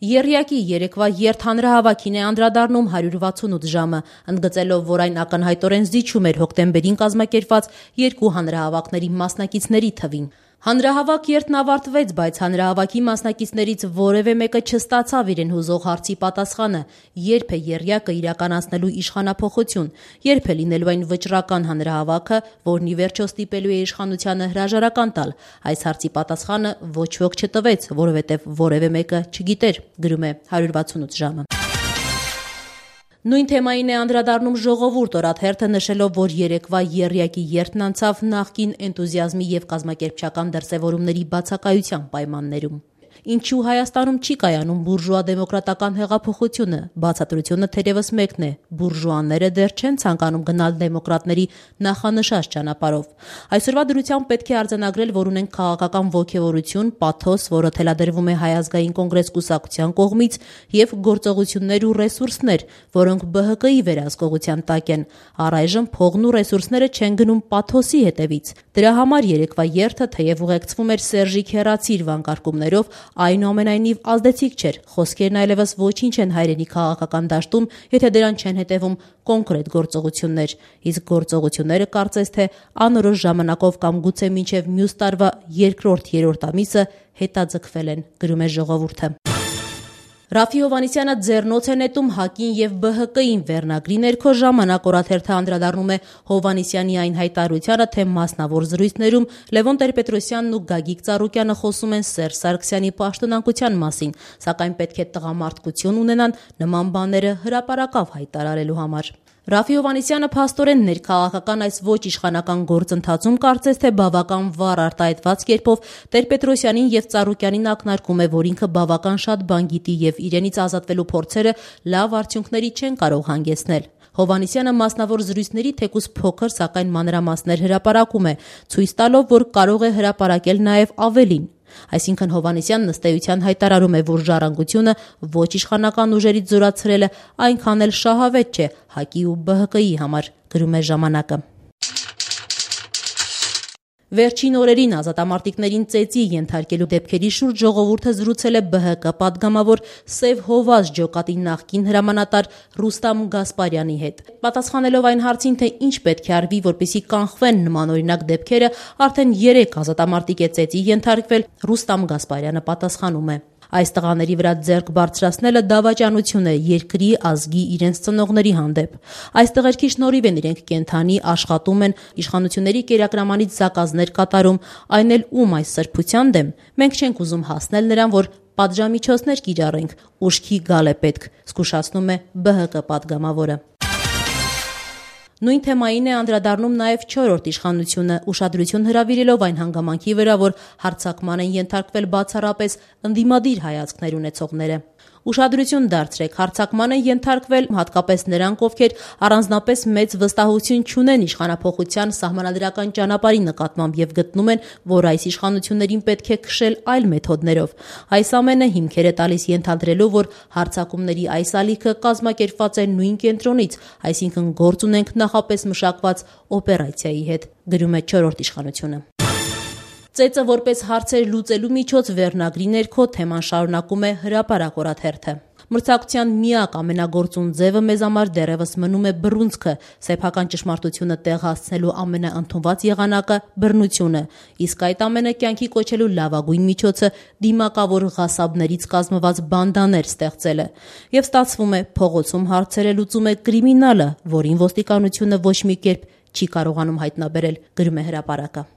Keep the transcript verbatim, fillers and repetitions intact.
Եռյակի երեկվա երթհանրահավաքին է անդրադառնում հարյուր վաթսունութ ժամը, ընդգծելով, որ այն ակնհայտորեն զիջում էր հոկտեմբերին կազմակերպված երկու հանրահավաքների մասնակիցների թվին։ Հանրահավաք երթն ավարտվեց, բայց հանրահավաքի մասնակիցներից որևէ մեկը չստացավ իրեն հուզող հարցի պատասխանը՝ երբ է եռյակը իրականացնելու իշխանափոխություն, երբ է լինելու այն վճռական հանրահավաքը, որն ի վերջո ստիպելու է իշխանությանը հրաժարական տալ։ Այս հարցի պատասխանը ոչ ոք չտվեց, որովհետև որևէ մեկը չգիտեր, գրում է հարյուր վաթսունութ ժամը։ Նույն թեմային է անդրադառնում «Ժողովուրդ» օրաթերթը, նշելով, որ երեկվա եռյակի երթն անցավ նախկին էնտուզիազմի և կազմակերպչական դրսևորումների բացակայության պայմաններում։ Ինչու Հայաստանում չի կայանում բուրժուա-դեմոկրատական հեղափոխությունը։ Բացատրությունը թերևս մեկն է՝ բուրժուաները դեռ չեն ցանկանում գնալ դեմոկրատների նախանշած ճանապարհով։ Այսօրվա դրությամբ պետք է արձանագրել, որ ունենք քաղաքական ոգևորություն, պաթոս, որը թելադրվում է Հայ ազգային կոնգրես կուսակցության կողմից, և գործողություններ ու ռեսուրսներ, որոնք B H K-ի վերահսկողության տակ են։ Առայժմ փողն ու ռեսուրսները չեն գնում պաթոսի հետևից։ Դրա համար երեկվա երթը, թեև ուղեկցվում էր «Սերժիկ հեռացիր» վանկարկումներով, այնուամենայնիվ ազդեցիկ չէր։ Խոսքերն այլևս ոչինչ են հայրենի քաղաքական դաշտում, եթե դրան չեն հետևում կոնկրետ գործողություններ։ Իսկ գործողությունները կարծես թե անորոշ ժամանակով կամ գուցե մինչև մյուս տարվա երկրորդ-երրորդ ամիսը հետաձգվել են, գրում է «Ժողովուրդը»։ Ռաֆֆի Հովհաննիսյանը ձեռնոց է նետում ՀԱԿ-ին և B H K-ին վերնագրի ներքո «Ժամանակ» օրաթերթը անդրադառնում է Հովհաննիսյանի այն հայտարարությանը, թե մասնավոր զրույցներում Լևոն Տեր-Պետրոսյանն ու Գագիկ Ծառուկյանը խոսում են Սերժ Սարգսյանի պաշտոնանկության մասին, սակայն պետք է տղամարդկություն ունենան նման բաները հրապարակավ հայտարարելու համար։ Ռաֆֆի Հովհաննիսյանը փաստորեն ներքաղաքական այս ոչ իշխանական գործընթացում կարծես թե բավական վառ արտահայտված կերպով Տեր-Պետրոսյանին և Ծառուկյանին ակնարկում է, որ ինքը բավական շատ բան գիտի և իրենից ազատվելու փորձերը լավ արդյունքների չեն կարող հանգեցնել։ Հովհաննիսյանը մասնավոր զրույցների թեկուզ փոքր, սակայն մանրամասներ հրապարակում է, ցույց տալով, որ կարող է հրապարակել նաև ավելին։ Այսինքն Հովհաննիսյանն ըստ էության հայտարարում է, որ ժառանգությունը ոչ իշխանական ուժերից զորացրելը այնքան էլ շահավետ չէ ՀԱԿ-ի ու B H K-ի համար, գրում է «Ժամանակը»։ Վերջին օրերին ազատամարտիկներին ծեծի ենթարկելու դեպքերի շուրջ «Ժողովուրդը» զրուցել է B H K պատգամավոր Սև Հովազ ջոկատի նախկին հրամանատար Ռուստամ Գասպարյանի հետ։ Պատասխանելով այն հարցին, թե ինչ պետք է արվի, որպեսզի կանխվեն նմանօրինակ դեպքերը, արդեն երեք ազատամարտիկ է ծեծի ենթարկվել, Ռուստամ Գասպարյանը պատասխանում է. Այս տղաների վրա ձեռք բարձրացնելը դավաճանություն է երկրի, ազգի, իրենց ծնողների հանդեպ։ Այս տղերքի շնորհիվ են իրենք կենդանի, աշխատում են, իշխանությունների կերակրամանից զակազներ կատարում, այն էլ ում այս սրբության դեմ։ Մենք չենք ուզում հասնել նրան, որ պատժամիջոցներ կիրառենք, ուշքի գալ է պետք, զգուշացնում է B H K պատգամավորը։ Նույն թեմային է անդրադառնում նաև չորրորդ իշխանությունը, ուշադրություն հրավիրելով այն հանգամանքի վրա, որ հարձակման են ենթարկվել բացառապես ընդդիմադիր հայացքներ ունեցողները։ Ուշադրություն դարձրեք, հարձակման են ենթարկվել հատկապես նրանք, ովքեր առանձնապես մեծ վստահություն չունեն իշխանափոխության սահմանադրական ճանապարհի նկատմամբ և գտնում են, որ այս իշխանություններին պետք է քշել այլ մեթոդներով։ Այս ամենը հիմքեր է տալիս ենթադրելու, որ հարձակումների այս ալիքը կազմակերպված է նույն կենտրոնից, այսինքն գործ ունենք նախապես մշակված օպերացիայի հետ, գրում է չորրորդ իշխանությունը։ Ծեծը որպես հարցեր լուծելու միջոց վերնագրի ներքո թեման շարունակում է Հրապարակ օրաթերթը։ Մրցակցության միակ ամենագործուն ձևը մեզ համար դեռևս մնում է բռունցքը, սեփական ճշմարտությունը տեղ հասցնելու ամենաընդունված եղանակը բռնությունը, իսկ այդ ամենը կյանքի կոչելու լավագույն միջոցը դիմակավոր ղասաբներից կազմված բանդաներ ստեղծելը։ Եվ ստացվում է, փողոցում հարցերը լուծում է կրիմինալը, որին ոստիկանությունը ոչ մի կերպ չի կարողանում հայտնաբերել, գրում է Հրապարակը։